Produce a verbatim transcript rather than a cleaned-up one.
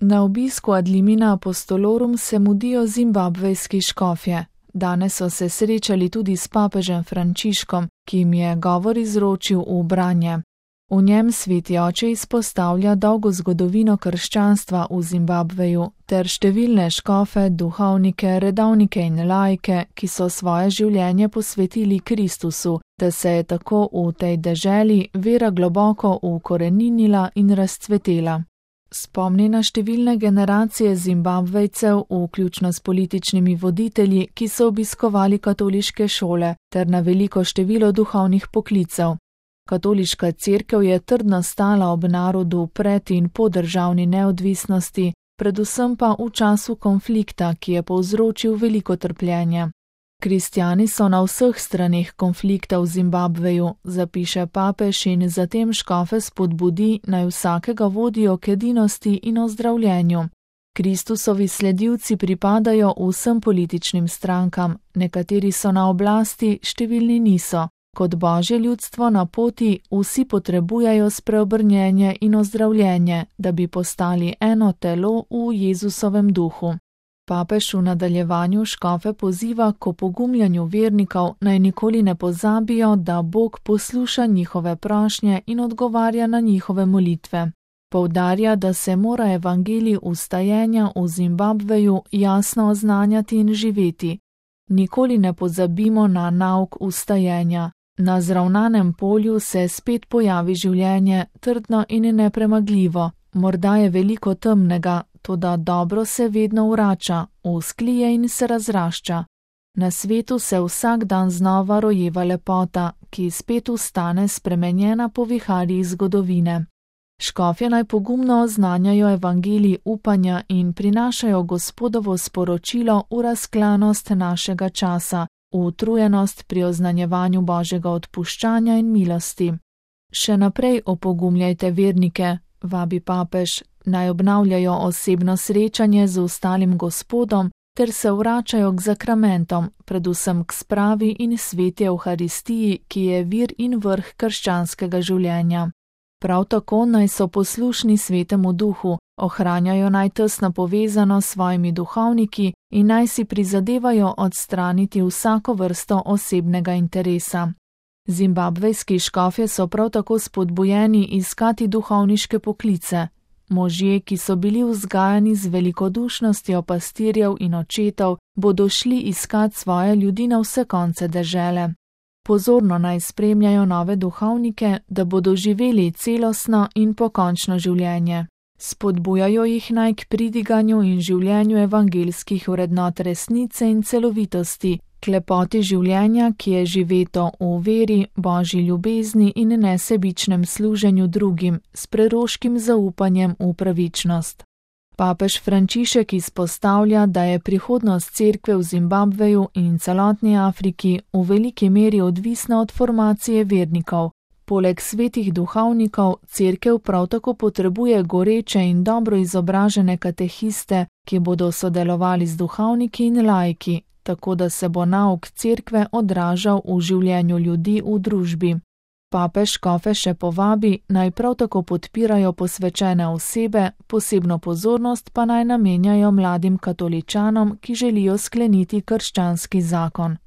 Na obisku ad limina apostolorum se mudijo zimbabvejski škofje. Danes so se srečali tudi s papežem Frančiškom, ki jim je govor izročil v branje. V njem sveti oče izpostavlja dolgo zgodovino krščanstva v Zimbabveju ter številne škofe, duhovnike, redovnike in laike, ki so svoje življenje posvetili Kristusu, da se je tako v tej deželi vera globoko ukoreninila in razcvetela. Spomni na številne generacije Zimbabvejcev, vključno s političnimi voditelji, ki so obiskovali katoliške šole, ter na veliko število duhovnih poklicev. Katoliška cerkev je trdno stala ob narodu pred in po državni neodvisnosti, predvsem pa v času konflikta, ki je povzročil veliko trpljenja. Kristjani so na vseh straneh konflikta v Zimbabveju, zapiše papež in zatem škofe spodbudi, naj vsakega vodijo k edinosti in ozdravljenju. Kristusovi sledilci pripadajo vsem političnim strankam, nekateri so na oblasti, številni niso. Kot Božje ljudstvo na poti vsi potrebujejo spreobrnjenje in ozdravljenje, da bi postali eno telo v Jezusovem duhu. Papež v nadaljevanju škofe poziva k opogumljanju vernikov, naj nikoli ne pozabijo, da Bog posluša njihove prošnje in odgovarja na njihove molitve. Poudarja, da se mora evangelij vstajenja v Zimbabveju jasno oznanjati in živeti. Nikoli ne pozabimo na nauk vstajenja. Na zravnanem polju se spet pojavi življenje, trdno in nepremagljivo. Morda je veliko temnega, toda dobro se vedno vrača, vzklije in se razrašča. Na svetu se vsak dan znova rojeva lepota, ki spet vstane spremenjena po viharjih zgodovine. Škofje naj pogumno oznanjajo evangelij upanja in prinašajo Gospodovo sporočilo v razklanost našega časa, v utrujenost pri oznanjevanju Božjega odpuščanja in milosti. Še naprej opogumljajte vernike, vabi papež, naj obnavljajo osebno srečanje z ostalim Gospodom ter se vračajo k zakramentom, predvsem k spravi in sveti Evharistiji, ki je vir in vrh krščanskega življenja. Prav tako naj so poslušni svetemu duhu, ohranjajo naj tesno povezano s svojimi duhovniki in naj si prizadevajo odstraniti vsako vrsto osebnega interesa. Zimbabvejski škofje so prav tako spodbujeni iskati duhovniške poklice. Možje, ki so bili vzgajani z velikodušnostjo pastirjev in očetov, bodo šli iskat svoje ljudi na vse konce dežele. Pozorno naj spremljajo nove duhovnike, da bodo živeli celostno in pokončno življenje. Spodbujajo jih naj k pridiganju in življenju evangelskih vrednot resnice in celovitosti, k lepoti življenja, ki je živeto v veri, Božji ljubezni in nesebičnem služenju drugim, s preroškim zaupanjem v pravičnost. Papež Frančišek izpostavlja, da je prihodnost cerkve v Zimbabveju in celotni Afriki v veliki meri odvisna od formacije vernikov. Poleg svetih duhovnikov, cerkev prav tako potrebuje goreče in dobro izobražene katehiste, ki bodo sodelovali z duhovniki in laiki, tako da se bo nauk cerkve odražal v življenju ljudi v družbi. Papež škofe še povabi, naj prav tako podpirajo posvečene osebe, posebno pozornost pa naj namenjajo mladim katoličanom, ki želijo skleniti krščanski zakon.